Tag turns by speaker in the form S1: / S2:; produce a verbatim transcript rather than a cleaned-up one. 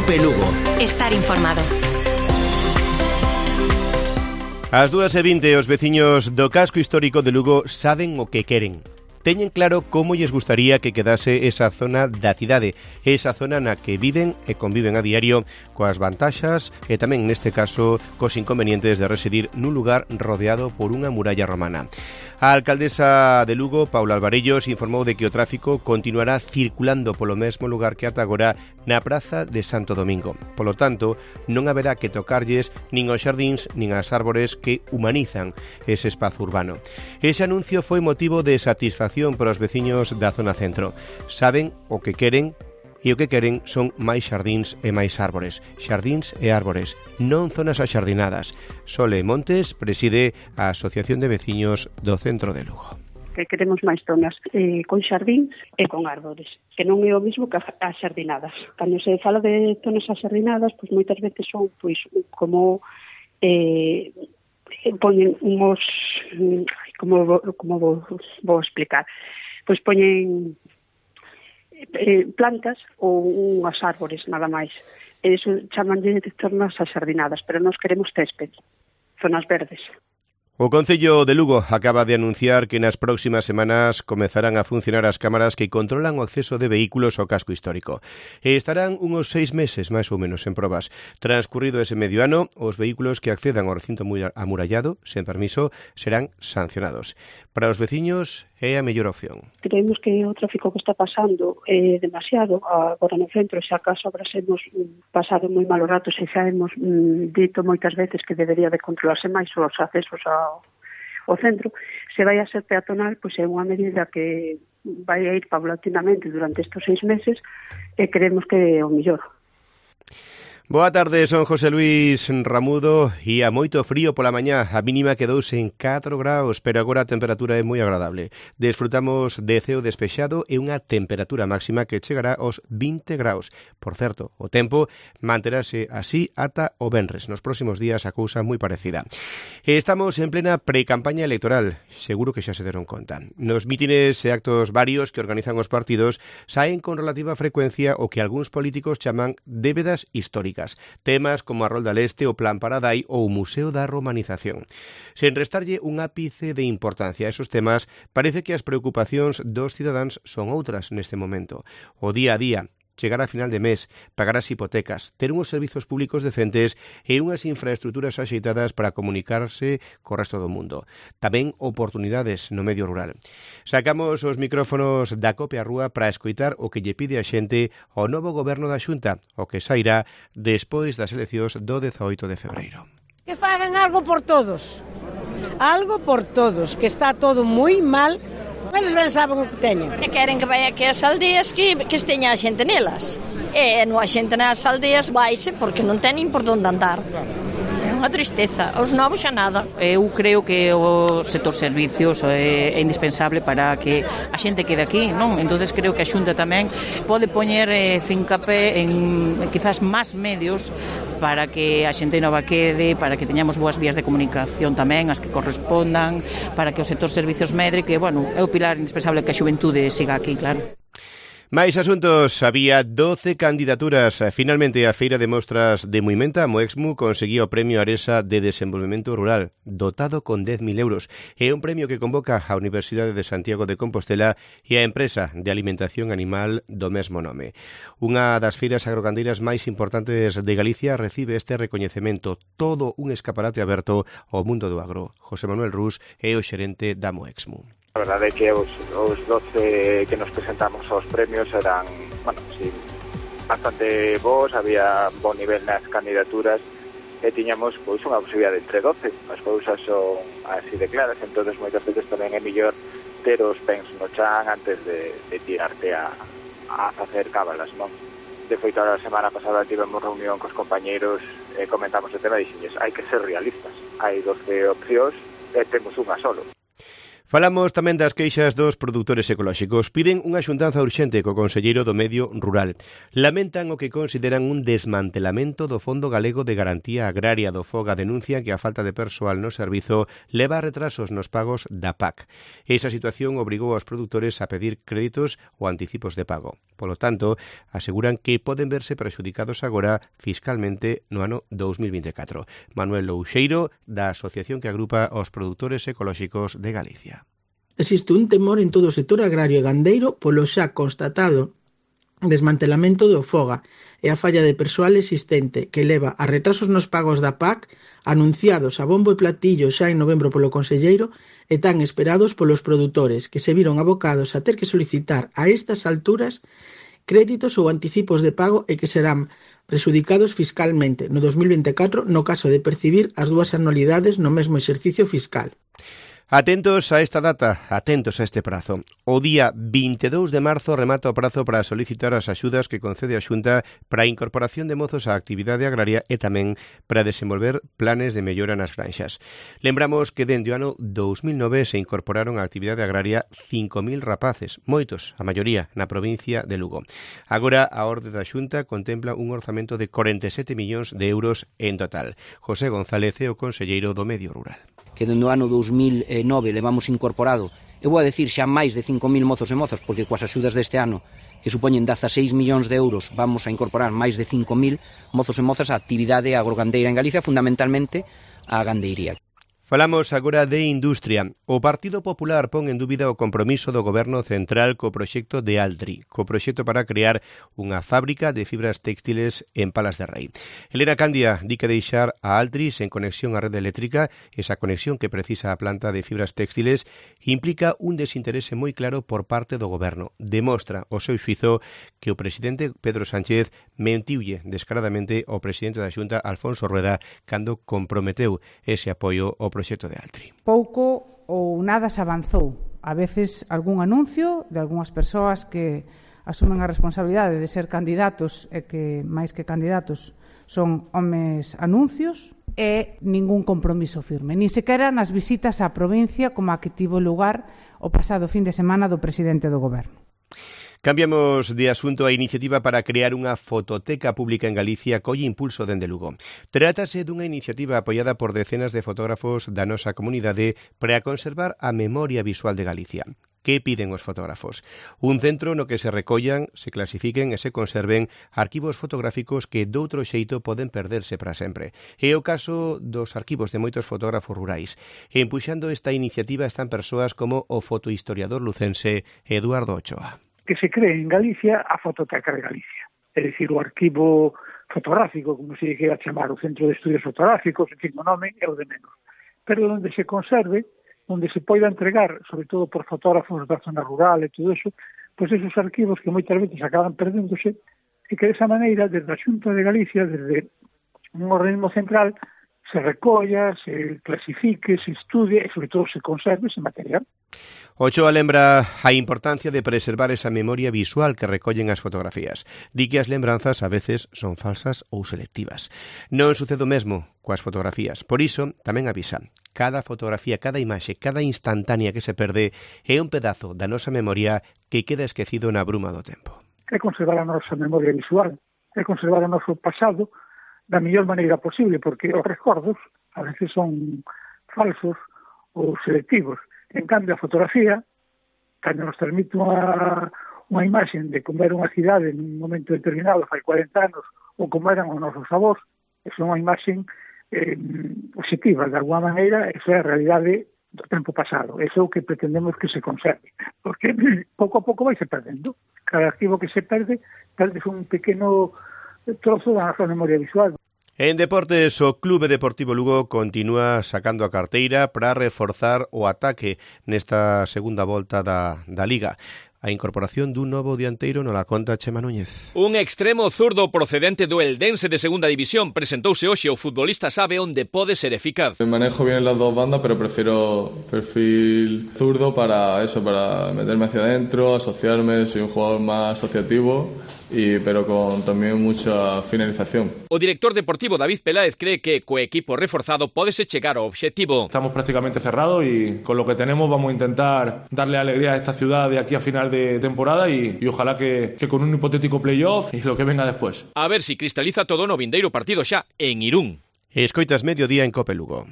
S1: Cope Lugo.
S2: Estar informado.
S3: Ás dúas e vinte os veciños do casco histórico de Lugo saben o que queren. Teñen claro como lles gustaría que quedase esa zona da cidade, esa zona na que viven e conviven a diario coas vantaxas e tamén neste caso cos inconvenientes de residir nun lugar rodeado por unha muralla romana. A alcaldesa de Lugo, Paula Alvarellos, informou de que o tráfico continuará circulando polo mesmo lugar que ata agora na Praza de Santo Domingo. Polo tanto, non haberá que tocarlles nin aos xardíns nin ás árbores que humanizan ese espazo urbano. Ese anuncio foi motivo de satisfacción para os veciños da zona centro. Saben o que queren, e o que queren son máis xardíns e máis árbores. Xardíns e árbores, non zonas axardinadas. Sole Montes preside a Asociación de Veciños do Centro de Lugo.
S4: Que queremos máis zonas eh, con xardíns e con árbores, que non é o mismo que as xardinadas. Cando se fala de zonas axardinadas, pois moitas veces son pois como eh, poñen uns, como, como vou, vou explicar, pois poñen eh, plantas ou unhas árbores, nada máis. E iso chaman de zonas axardinadas, pero nós queremos césped, zonas verdes.
S3: O Concello de Lugo acaba de anunciar que nas próximas semanas comezarán a funcionar as cámaras que controlan o acceso de vehículos ao casco histórico. E estarán uns seis meses, máis ou menos, en probas. Transcurrido ese medio ano, os vehículos que accedan ao recinto amurallado, sen permiso, serán sancionados. Para os veciños é a mellor opción.
S4: Creemos que o tráfico que está pasando é demasiado agora no centro, xa acaso abrasemos pasado moi malos ratos e xa hemos mm, dito moitas veces que debería de controlarse máis os accesos ao, ao centro. Se vai a ser peatonal, pois é unha medida que vai a ir paulatinamente durante estes seis meses e creemos que é o mellor.
S3: Boa tarde, son José Luis Ramudo e a moito frío pola mañá. A mínima quedouse en catro graus, pero agora a temperatura é moi agradable. Desfrutamos de ceo despexado e unha temperatura máxima que chegará aos vinte graus. Por certo, o tempo manterase así ata o venres. Nos próximos días a cousa moi parecida. Estamos en plena pre-campaña electoral, seguro que xa se deron conta. Nos mítines e actos varios que organizan os partidos saen con relativa frecuencia o que algúns políticos chaman débedas históricas. Temas como a Rolda Leste, o Plan Paradai ou o Museo da Romanización. Sen restarlle un ápice de importancia a esos temas, parece que as preocupacións dos cidadáns son outras neste momento. O día a día, chegar a final de mes, pagar as hipotecas, ter uns servizos públicos decentes e unhas infraestruturas axeitadas para comunicarse co resto do mundo. Tamén oportunidades no medio rural. Sacamos os micrófonos da Cope á Rúa para escoitar o que lle pide a xente ao novo goberno da Xunta, o que sairá despois das eleccións do dezaoito de febreiro.
S5: Que fagan algo por todos, algo por todos, que está todo moi mal. Eles ben saben o que teñen.
S6: E queren que vai aquí as aldeas que, que esteña a xente nelas. E non a xente nas aldeas vaise porque non teñen por onde andar. É unha tristeza. Os novos xa nada.
S7: Eu creo que o sector servicios é, é indispensable para que a xente quede aquí, non? Entonces creo que a Xunta tamén pode poñer eh, fincapé en quizás máis medios para que a xente nova quede, para que teñamos boas vías de comunicación tamén, as que correspondan, para que o sector servicios medre, que, bueno, é o pilar indispensable que a xuventude siga aquí, claro.
S3: Máis asuntos, había doce candidaturas. Finalmente, a Feira de Mostras de Muimenta, Moexmu, conseguía o Premio Aresa de Desenvolvemento Rural, dotado con dez mil euros. É un premio que convoca a Universidade de Santiago de Compostela e a empresa de alimentación animal do mesmo nome. Unha das feiras agrogandeiras máis importantes de Galicia recibe este recoñecemento, todo un escaparate aberto ao mundo do agro. José Manuel Rus é o xerente da Moexmu.
S8: A verdade é que os, os doce que nos presentamos aos premios eran, bueno, sí, bastante bons, había bon nivel nas candidaturas e tiñamos pois unha posibilidade entre doce. As cousas son así de claras, entonces moitas veces tamén é mellor ter os pens no chan antes de, de tirarte a, a facer cábalas, non? De feito, a semana pasada tivemos reunión cos compañeiros e comentamos o tema e dixenlles, hai que ser realistas. Hai doce opcións e temos unha solo.
S3: Falamos tamén das queixas dos produtores ecolóxicos. Piden unha xuntanza urxente co conselleiro do Medio Rural. Lamentan o que consideran un desmantelamento do Fondo Galego de Garantía Agraria do FOGA. Denuncian que a falta de persoal no servizo leva a retrasos nos pagos da P A C. Esa situación obrigou aos produtores a pedir créditos ou anticipos de pago. Polo tanto, aseguran que poden verse prexudicados agora fiscalmente no ano dous mil vinte e catro. Manuel Louxeiro, da asociación que agrupa os produtores ecolóxicos de Galicia.
S1: Existe un temor en todo o sector agrario e gandeiro polo xa constatado desmantelamento do FOGA e a falla de persoal existente que leva a retrasos nos pagos da P A C anunciados a bombo e platillo xa en novembro polo conselleiro e tan esperados polos produtores que se viron abocados a ter que solicitar a estas alturas créditos ou anticipos de pago e que serán prexudicados fiscalmente no dos mil vinte e catro no caso de percibir as dúas anualidades no mesmo exercicio fiscal.
S3: Atentos a esta data, atentos a este prazo. O día vinte e dous de marzo remata o prazo para solicitar as axudas que concede a Xunta para a incorporación de mozos á actividade agraria e tamén para desenvolver planes de mellora nas granxas. Lembramos que dende o ano dous mil nove se incorporaron á actividade agraria cinco mil rapaces, moitos, a maioría, na provincia de Lugo. Agora a orde da Xunta contempla un orzamento de corenta e sete millóns de euros en total. José González é o conselleiro do Medio Rural.
S2: Que dende o ano dous mil nove levamos incorporado, eu vou a decir xa máis de cinco mil mozos e mozas, porque coas axudas deste ano, que supoñen dezaseis millóns de euros, vamos a incorporar máis de cinco mil mozos e mozas á actividade agrogandeira en Galicia, fundamentalmente a gandeiría.
S3: Falamos agora de industria. O Partido Popular pon en dúbida o compromiso do Goberno Central co proxecto de Altri, co proxecto para crear unha fábrica de fibras textiles en Palas de Rei. Elena Candia di que deixar a Altri sen conexión á rede eléctrica, esa conexión que precisa a planta de fibras textiles, implica un desinterese moi claro por parte do Goberno. Demostra o seu xuizo que o presidente Pedro Sánchez mentiulle descaradamente ao presidente da Xunta, Alfonso Rueda, cando comprometeu ese apoio ao proxecto de Altri.
S9: Pouco ou nada se avanzou. A veces algún anuncio de algunhas persoas que asumen a responsabilidade de ser candidatos e que, máis que candidatos, son homes anuncios e ningún compromiso firme. Ni sequera nas visitas á provincia como a que tivo lugar o pasado fin de semana do presidente do Goberno.
S3: Cambiamos de asunto. A iniciativa para crear unha fototeca pública en Galicia colle impulso dende Lugo. Trátase dunha iniciativa apoiada por decenas de fotógrafos da nosa comunidade para conservar a memoria visual de Galicia. Que piden os fotógrafos? Un centro no que se recollan, se clasifiquen e se conserven arquivos fotográficos que doutro xeito poden perderse para sempre. É o caso dos arquivos de moitos fotógrafos rurais. Empuxando esta iniciativa están persoas como o fotohistoriador lucense Eduardo Ochoa.
S10: Que se cree en Galicia a Fototeca de Galicia. É dicir, o arquivo fotográfico, como se queira chamar, o Centro de Estudios Fotográficos, en fin, o nome é o de menos. Pero onde se conserve, onde se poida entregar, sobre todo por fotógrafos da zona rural e todo eso, pois esos arquivos que moitas veces acaban perdéndose, e que desa maneira, desde a Xunta de Galicia, desde un organismo central, se recolla, se clasifique, se estudie e, sobre todo, se conserve ese material.
S3: Ochoa lembra a importancia de preservar esa memoria visual que recollen as fotografías. Di que as lembranzas a veces son falsas ou selectivas. Non sucede o mesmo coas fotografías. Por iso, tamén avisan. Cada fotografía, cada imaxe, cada instantánea que se perde é un pedazo da nosa memoria que queda esquecido na bruma do tempo.
S10: É conservar a nosa memoria visual, é conservar o noso pasado da mellor maneira posible, porque os recordos a veces son falsos ou selectivos. En cambio, a fotografía, cando nos transmite unha, unha imaxe de como era unha cidade en un momento determinado, fai cuarenta anos, ou como eran os nosos avós, é unha imaxe eh, positiva, de alguma maneira, esa é a realidade do tempo pasado. Eso é o que pretendemos que se conserve, porque pouco a pouco vai se perdendo. Cada arquivo que se perde, perde un pequeno trozo da nosa memoria visual.
S3: En deportes, o Clube Deportivo Lugo continúa sacando a carteira para reforzar o ataque nesta segunda volta da, da Liga. A incorporación dun novo dianteiro no la conta Chema Núñez.
S11: Un extremo zurdo procedente do Eldense de segunda división presentouse hoxe. O futbolista sabe onde pode ser eficaz.
S12: Manejo bien las dos bandas, pero prefiero perfil zurdo para eso, para meterme hacia adentro, asociarme. Soy un jugador más asociativo y, pero con también mucha finalización.
S11: O director deportivo David Peláez cree que co equipo reforzado pódese chegar ao obxectivo.
S13: Estamos prácticamente cerrados y con lo que tenemos vamos a intentar darle alegría a esta ciudad de aquí a final de temporada y, y ojalá que, que con un hipotético playoff y lo que venga después.
S11: A ver si cristaliza todo no vindeiro partido xa en Irún.
S3: Escoitas Mediodía en Cope Lugo.